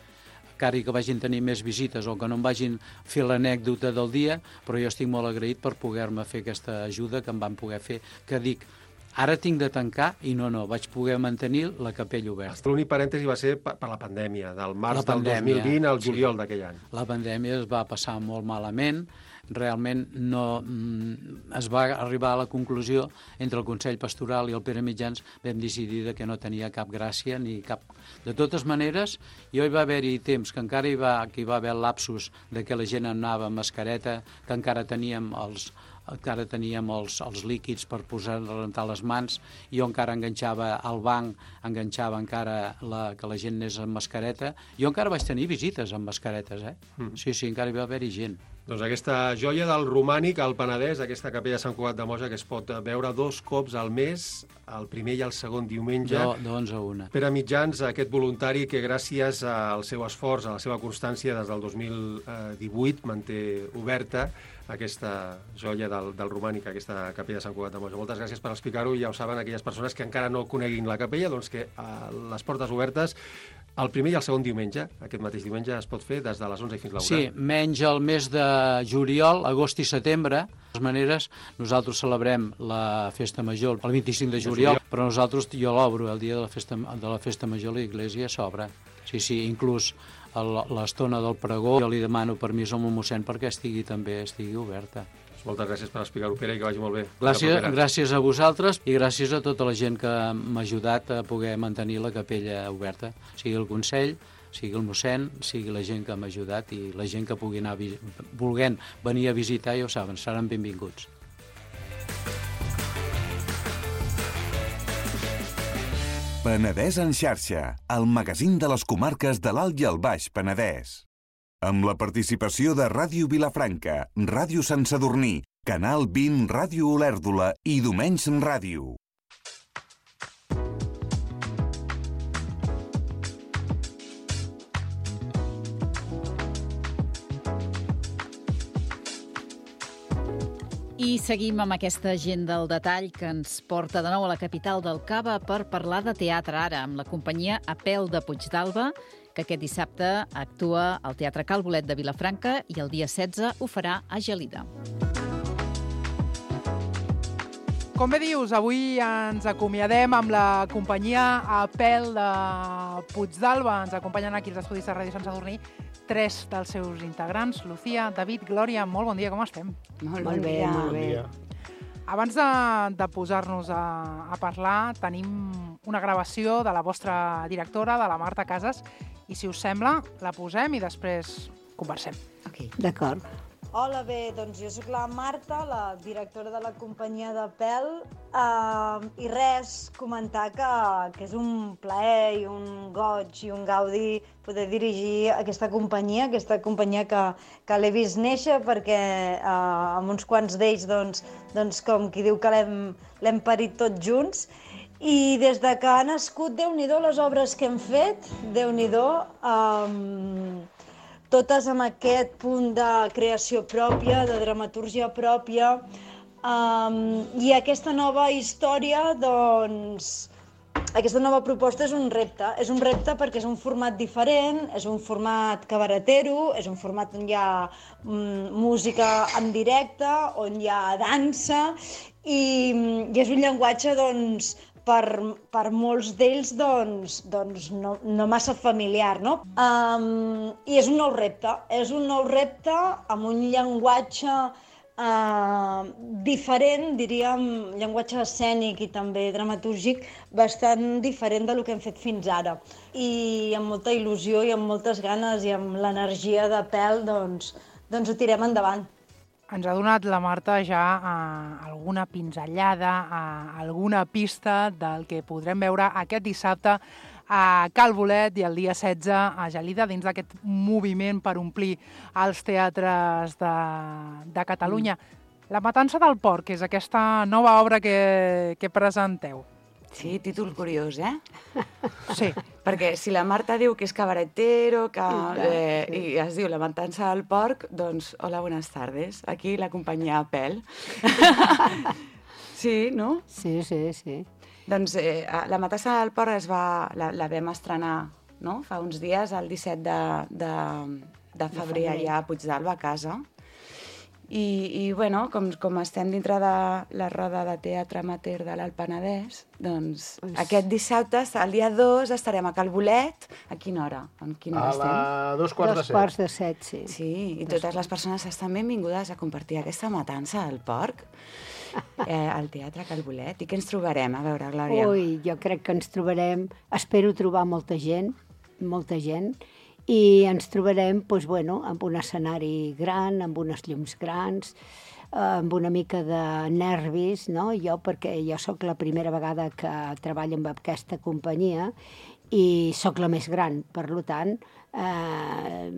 encara que vagin tenir més visites o que no em vagin fer l'anècdota del dia, però jo estic molt agraït per poder-me fer aquesta ajuda que em van poder fer, que dic, ara tinc de tancar i no, vaig poder mantenir la capella oberta. L'únic parèntesi va ser per la pandèmia, del març del 2020 al juliol d'aquell any. La pandèmia es va passar molt malament, realment es va arribar a la conclusió entre el Consell Pastoral i el Pere Mitjans, vam decidir que no tenia cap gràcia ni cap... De totes maneres, hi va haver-hi temps que encara hi va haver lapsus de que la gent anava amb mascareta, que encara teníem els líquids per rentar les mans, jo encara enganxava al banc, enganxava encara que la gent anés amb mascareta. Jo encara vaig tenir visites amb mascaretes, Sí, encara hi va haver-hi gent. Doncs aquesta joia del romànic al Penedès, aquesta capella de Sant Cugat de Moja, que es pot veure 2 cops al mes, el primer i el segon diumenge. De 11 a 1. Pere Mitjans, aquest voluntari que gràcies al seu esforç, a la seva constància, des del 2018 manté oberta aquesta joia del romànic, aquesta capella de Sant Cugat de Moja. Moltes gràcies per explicar-ho, i ja ho saben aquelles persones que encara no coneguin la capella, doncs que les portes obertes el primer i el segon diumenge, aquest mateix diumenge, es pot fer des de les 11 fins a la 1. Sí, menys el mes de juliol, agost i setembre. De totes maneres, nosaltres celebrem la festa major el 25 de juliol, però nosaltres, jo l'obro el dia de la festa major, l'església s'obre. Sí, inclús l'estona del pregó, jo li demano permís al mossèn perquè estigui oberta. Moltes gràcies per explicar-ho, Pere, i que vagi molt bé. Gràcies a vosaltres i gràcies a tota la gent que m'ha ajudat a poder mantenir la capella oberta, sigui el Consell, sigui el mossèn, sigui la gent que m'ha ajudat i la gent que pugui anar volent venir a visitar, ja ho saben, seran benvinguts. Penedès en xarxa, el magazín de les comarques de l'Alt i el Baix Penedès. Amb la participació de Ràdio Vilafranca, Ràdio Sant Sadurní, Canal 20, Ràdio Olèrdola i Domenys Ràdio. I seguim amb aquesta agenda del detall que ens porta de nou a la capital del Cava per parlar de teatre ara, amb la companyia Apel de Puigdàlber, que aquest dissabte actua al Teatre Cal Bolet de Vilafranca i el dia 16 ho farà a Gelida. Com bé dius, avui ens acomiadem amb la companyia Apel de Puigdàlber. Ens acompanyen aquí als estudis de Ràdio Sant Sadurní 3 dels seus integrants. Lucía, David, Glòria, molt bon dia, com estem? Molt bé. Abans de posar-nos a parlar, tenim una gravació de la vostra directora, de la Marta Casas, i si us sembla, la posem i després conversem. D'acord. Hola, bé, doncs jo sóc la Marta, la directora de la companyia de Pèl, i res, comentar que és un plaer i un goig i un gaudi poder dirigir aquesta companyia que l'he vist néixer perquè amb uns quants d'ells, doncs com qui diu que l'hem parit tots junts. I des de que ha nascut, Déu-n'hi-do les obres que hem fet, Déu-n'hi-do, totes amb aquest punt de creació pròpia, de dramatúrgia pròpia, i aquesta nova història, doncs, aquesta nova proposta és un repte perquè és un format diferent, és un format cabaretero, és un format on hi ha música en directe, on hi ha dansa, i és un llenguatge, doncs, per molts d'ells no massa familiar, no? I és un nou repte amb un llenguatge diferent, diríem, llenguatge escènic i també dramatúrgic, bastant diferent del que hem fet fins ara. I amb molta il·lusió i amb moltes ganes i amb l'energia de Pèl, doncs ho tirem endavant. Ens ha donat la Marta ja alguna pinzellada, alguna pista del que podrem veure aquest dissabte a Cal Bolet i el dia 16 a Gelida, dins d'aquest moviment per omplir els teatres de Catalunya. La matança del porc és aquesta nova obra que presenteu. Sí, títol curiós, eh? Sí. Perquè si la Marta diu que és cabaretero, i es diu La matança del porc, doncs, hola, buenas tardes. Aquí la companyia Pèl. Sí, no? Sí. Doncs La matança del porc la vam estrenar, no?, fa uns dies, el 17 de febrer, allà a Puigdàlber, a casa. I bueno, com estem dintre de la roda de teatre amateur de l'Alt Penedès, doncs aquest dissabte, el dia 2, estarem a Cal Bolet. A quina hora? A la 2:15. 2:15, sí. Sí, i totes les persones estan benvingudes a compartir aquesta matança del porc al Teatre Cal Bolet. I què ens trobarem? A veure, Glòria. Ui, jo crec que ens trobarem, espero trobar molta gent, i ens trobarem amb un escenari gran, amb unes llums grans, amb una mica de nervis, no? Perquè jo sóc la primera vegada que treballo amb aquesta companyia i sóc la més gran, per tant,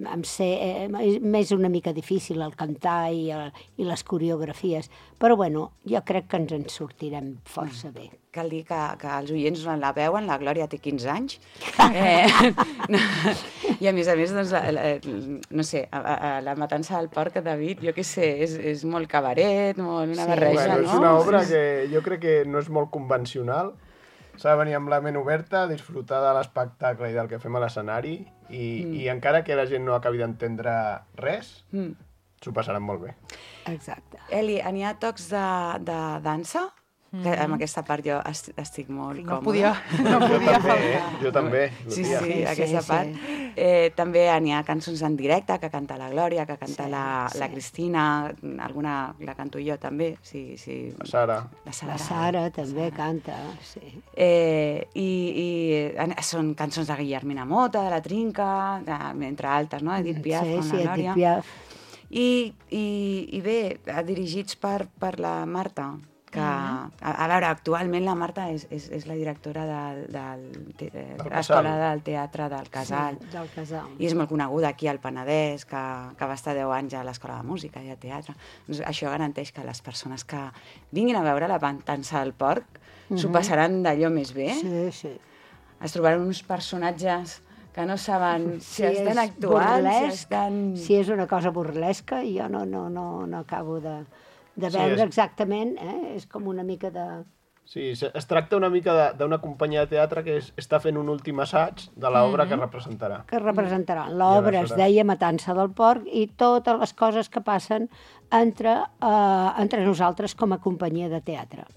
m'és una mica difícil el cantar i les coreografies, però jo crec que ens en sortirem força bé. Cal dir que els oients la veuen, la Glòria té 15 anys, i a més, doncs, no sé, la matança del porc, David, jo què sé, és molt cabaret, una barreja, no? És una obra que jo crec que no és molt convencional, s'ha de venir amb la ment oberta, disfrutar de l'espectacle i del que fem a l'escenari, i encara que la gent no acabi d'entendre res, s'ho passaran molt bé. Exacte. Eli, n'hi ha tocs de dansa? Que amb aquesta part jo estic molt còmoda. No podia faltar. Jo també. Sí, aquesta part. També n'hi ha cançons en directe, que canta la Glòria, que canta la Cristina, alguna la canto jo també. La Sara. La Sara també canta, sí. I són cançons de Guillermina Mota, de La Trinca, entre altres, no? Edith Piaf, amb la Glòria. Edith Piaf. I bé, dirigits per la Marta, que, a veure, actualment la Marta és la directora de l'Escola del Teatre del Casal. Sí, del Casal. I és molt coneguda aquí al Penedès, que va estar 10 anys a l'Escola de Música i de Teatre. Doncs això garanteix que les persones que vinguin a veure la matança del porc s'ho passaran d'allò més bé. Sí. Es trobaran uns personatges que no saben si estan actuant, si és una cosa burlesca, jo no acabo de veure exactament, és com una mica de... Sí, es tracta una mica d'una companyia de teatre que està fent un últim assaig de l'obra que representarà. L'obra es deia Matança del porc i totes les coses que passen entre nosaltres com a companyia de teatre.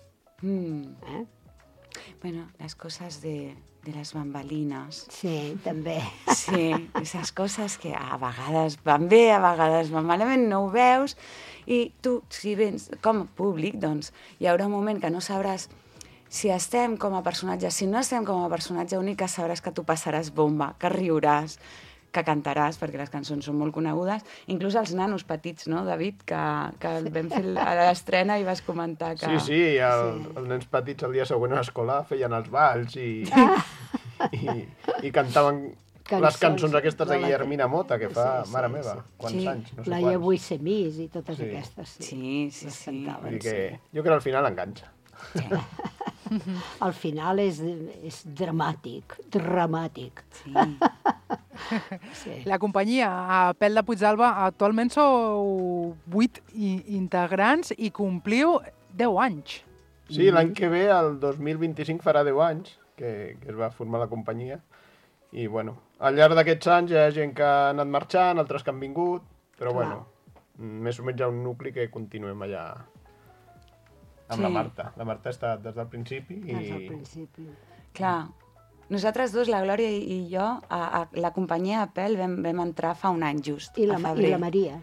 Bueno, les coses de les bambalinas. Sí, també. Sí, esas coses que a vegades van bé, a vegades van malament, no ho veus, i tu, si vens com a públic, doncs hi haurà un moment que no sabràs si estem com a personatge, si no estem com a personatge únic, que sabràs que tu passaràs bomba, que riuràs, que cantaràs, perquè les cançons són molt conegudes. Inclús els nanos petits, no, David, que vam fer a l'estrena i vas comentar que... Sí, els nens petits el dia següent a l'escola feien els balls i cantaven les cançons aquestes de Guillermina Mota, que fa, mare meva, quants anys, no sé la quants. Ja vull ser mis i totes aquestes. Sí. Vull dir que jo crec que al final enganxa. Al final és dramàtic. Sí. La companyia, a Pèl de Puigdàlber, actualment sou 8 integrants i compliu 10 anys. Sí, l'any que ve, el 2025, farà 10 anys que es va formar la companyia. I, bueno, al llarg d'aquests anys hi ha gent que ha anat marxant, altres que han vingut, però, bueno, més o menys hi ha un nucli que continuem allà amb la Marta. La Marta ha estat des del principi. Des del principi. Clar. Nosaltres dos, la Glòria i jo, a la companyia a Pèl vam entrar fa un any just, a febrer. I la Maria.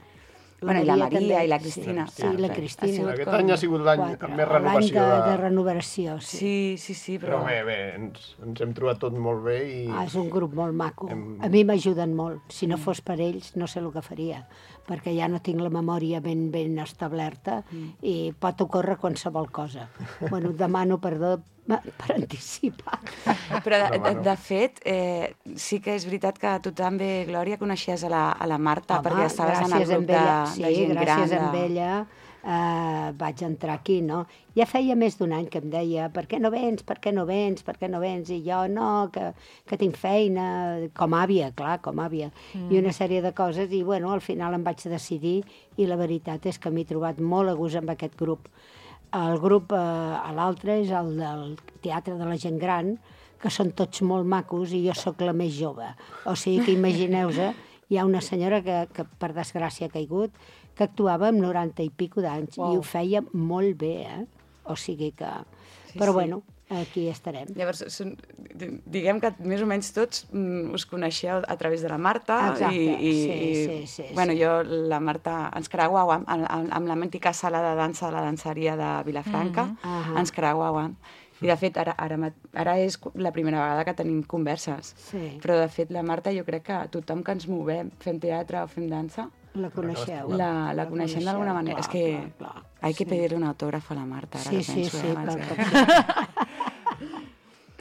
Bueno, i la Maria i la Cristina. Sí, la Cristina. Aquest any ha sigut l'any amb més renovació. L'any de renovació, sí. Però bé, ens hem trobat tot molt bé i... És un grup molt maco. A mi m'ajuden molt. Si no fos per ells, no sé el que faria, perquè ja no tinc la memòria ben establerta i pot ocórrer qualsevol cosa. Bueno, demano perdó per anticipar. Però, de fet, sí que és veritat que tu també, Glòria, coneixies a la Marta, perquè estaves en el grup de gent gran. Gràcies a ella vaig entrar aquí, no? Ja feia més d'un any que em deia per què no vens? I jo, no, que tinc feina, com àvia, clar, com àvia, i una sèrie de coses, i bueno, al final em vaig decidir, i la veritat és que m'he trobat molt a gust amb aquest grup. El grup a l'altre és el del Teatre de la Gent Gran, que són tots molt macos i jo sóc la més jove. O sigui que imagineu-vos, hi ha una senyora que per desgràcia ha caigut, que actuava amb 90 i pico d'anys i ho feia molt bé, O sigui que... Però bueno, aquí estarem. Llavors, diguem que més o menys tots us coneixeu a través de la Marta. Exacte, sí. Bueno, jo, la Marta, ens creuàvem amb la mítica sala de dansa de la danseria de Vilafranca, ens creuàvem. I, de fet, ara és la primera vegada que tenim converses. Sí. Però, de fet, la Marta, jo crec que tothom que ens movem, fem teatre o fem dansa, la coneixeu. La coneixem d'alguna manera. És que hay que pedir-li un autògraf a la Marta. Ara Sí.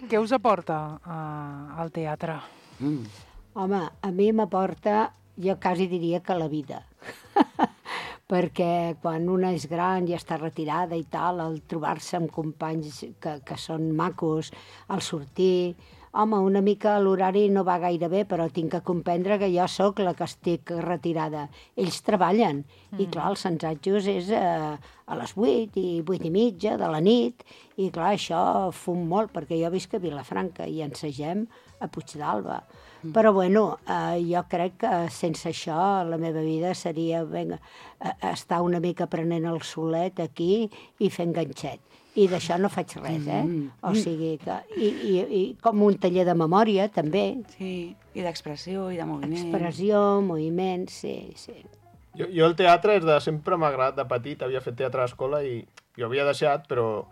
Què us aporta al teatre? Home, a mi m'aporta, jo quasi diria que la vida. Perquè quan una és gran i està retirada i tal, el trobar-se amb companys que són macos, el sortir... Home, una mica l'horari no va gaire bé, però tinc que comprendre que jo sóc la que estic retirada. Ells treballen, i clar, els assajos és a les 8 i 8 i mitja de la nit, i clar, això fum molt, perquè jo visc a Vilafranca i ensagem a Puigdàlber. Però bueno, jo crec que sense això la meva vida seria estar una mica prenent el solet aquí i fent ganxet. I d'això no faig res, O sigui que... I com un taller de memòria, també. Sí, i d'expressió i de moviment. Expressió, moviment, sí. Jo el teatre és de sempre m'ha agradat de petit, havia fet teatre a l'escola i jo havia deixat, però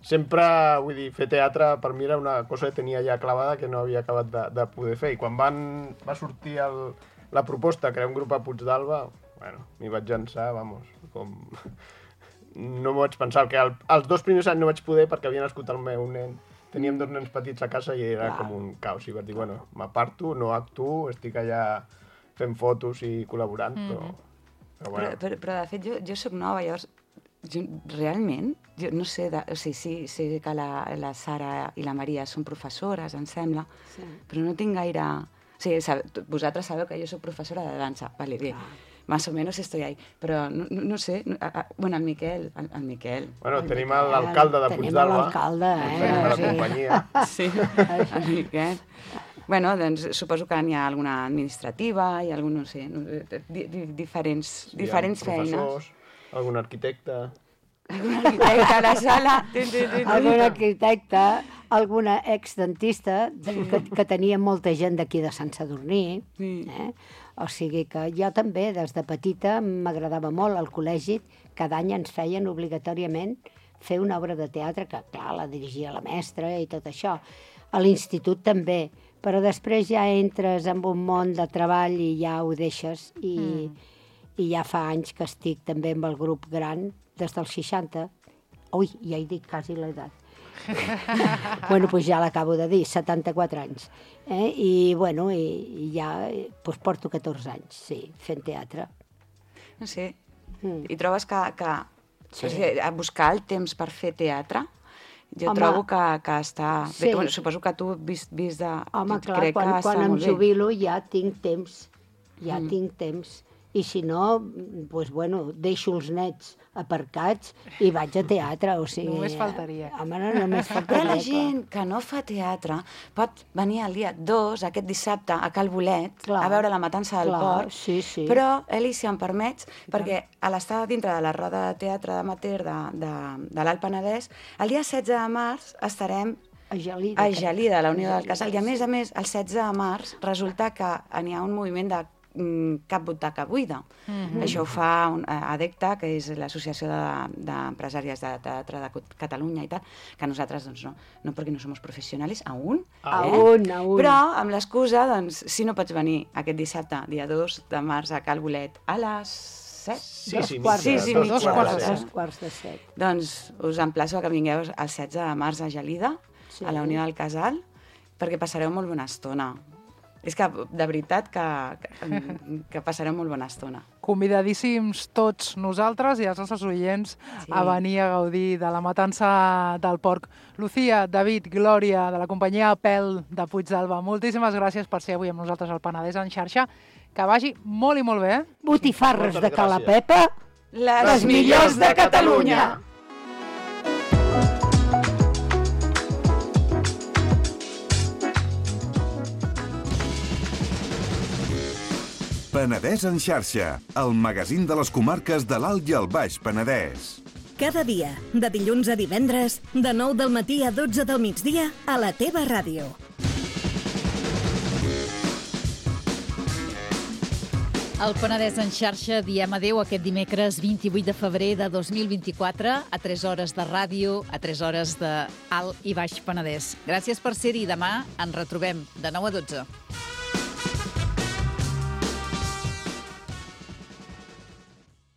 sempre, vull dir, fer teatre per mi era una cosa que tenia ja clavada que no havia acabat de poder fer. I quan va sortir la proposta de crear un grup a Puigdàlber, bueno, m'hi vaig llançar, com... No m'ho vaig pensar, que els 2 primers anys no vaig poder perquè havia nascut el meu nen. Teníem 2 nens petits a casa i era com un caos. I vaig dir, bueno, m'aparto, no actuo, estic allà fent fotos i col·laborant, però bueno. Però de fet, jo soc nova, llavors, realment, jo no sé, sé que la Sara i la Maria són professores, em sembla, però no tinc gaire... O sigui, vosaltres sabeu que jo soc professora de dansa, vale, bé. Más o menos estoy ahí, però no sé, bueno, el Miquel. Bueno, tenim l'alcalde de Puigdàlber. Tenim l'alcalde, de la companyia. Sí, el Miquel. Bueno, doncs suposo que n'hi ha alguna administrativa i algun, no sé, diferents feines. Professors, algun arquitecte. Algun arquitecte a la sala. Algun arquitecte, alguna exdentista, que tenia molta gent d'aquí de Sant Sadurní, O sigui que jo també, des de petita, m'agradava molt. Al col·legi, cada any ens feien obligatòriament fer una obra de teatre, que clar, la dirigia la mestra i tot això. A l'institut també, però després ja entres en un món de treball i ja ho deixes, i ja fa anys que estic també amb el grup gran, des dels 60. Ui, ja he dit quasi l'edat. Bueno, doncs ja l'acabo de dir, 74 anys. I, bueno, i ja porto 14 anys, sí, fent teatre. Sí. I trobes que a buscar el temps per fer teatre, jo trobo que està... Sí. Bueno, suposo que tu, vist de... Home, clar, quan em jubilo ja tinc temps, tinc temps. I si no, doncs, bueno, deixo els nets aparcats i vaig a teatre, o sigui... Només faltaria. Home, no, només faltaria. Però la gent que no fa teatre pot venir el dia 2, aquest dissabte, a Cal Bolet, a veure La matança del porc, però, Eli, si em permets, perquè a l'estar dintre de la roda de teatre amateur de l'Alt Penedès, el dia 16 de març estarem a Gelida, a la Unió del Casal, i a més, el 16 de març resulta que n'hi ha un moviment de cap butaca buida. Això ho fa ADECTA, que és l'Associació d'Empresàries de Teatre de Catalunya i tal, que nosaltres, doncs, no perquè no som professionals, aún, però amb l'excusa, doncs, si no pots venir aquest dissabte, dia 2 de març, a Cal Bolet, a les 7? Dos quarts de 7. Doncs us emplaço que vingueu el 16 de març a Gelida, a la Unió del Casal, perquè passareu molt bona estona. És que, de veritat, que passarem molt bona estona. Convidadíssims tots nosaltres i els nostres oients a venir a gaudir de La matança del porc. Lucía, David, Glòria, de la companyia Pèl de Puigdàlber, moltíssimes gràcies per ser avui amb nosaltres al Penedès en xarxa. Que vagi molt i molt bé. Botifarres de Cala Pepa, les millors de Catalunya. Penedès en xarxa, el magazín de les comarques de l'Alt i el Baix Penedès. Cada dia, de dilluns a divendres, de 9 del matí a 12 del migdia, a la teva ràdio. Al Penedès en xarxa diem adéu aquest dimecres 28 de febrer de 2024 a 3 hores de ràdio, a 3 hores de Alt i Baix Penedès. Gràcies per ser-hi. Demà ens retrobem de 9 a 12.